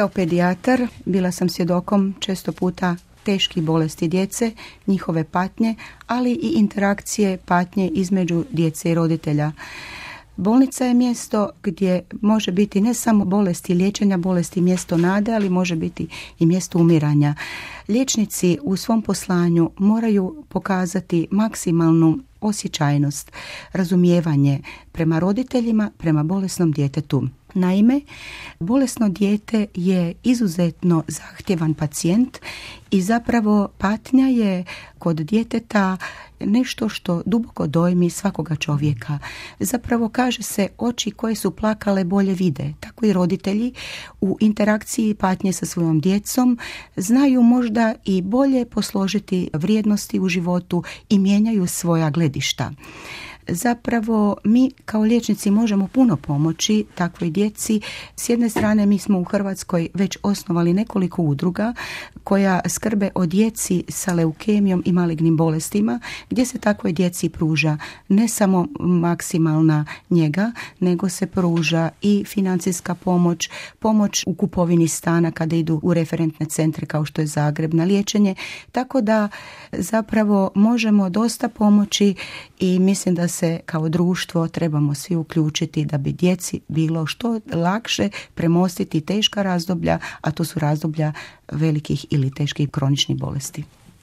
kao pedijatar bila sam svjedokom često puta teških bolesti djece, njihove patnje, ali i interakcije patnje između djece i roditelja. Bolnica je mjesto gdje može biti ne samo bolesti liječenja, bolesti mjesto nade, ali može biti i mjesto umiranja. Liječnici u svom poslanju moraju pokazati maksimalnu osjećajnost, razumijevanje prema roditeljima, prema bolesnom djetetu. Naime, bolesno dijete je izuzetno zahtjevan pacijent i zapravo patnja je kod djeteta nešto što duboko dojmi svakoga čovjeka. Zapravo kaže se, oči koje su plakale bolje vide. Tako i roditelji u interakciji patnje sa svojom djecom znaju možda i bolje posložiti vrijednosti u životu i mijenjaju svoja gledišta. Zapravo mi kao liječnici možemo puno pomoći takvoj djeci. S jedne strane mi smo u Hrvatskoj već osnovali nekoliko udruga koja skrbe o djeci sa leukemijom i malignim bolestima, gdje se takvoj djeci pruža ne samo maksimalna njega, nego se pruža i financijska pomoć u kupovini stana kada idu u referentne centre kao što je Zagreb na liječenje. Tako da zapravo možemo dosta pomoći i mislim da se kao društvo trebamo svi uključiti da bi djeci bilo što lakše premostiti teška razdoblja, a to su razdoblja velikih ili teških kroničnih bolesti.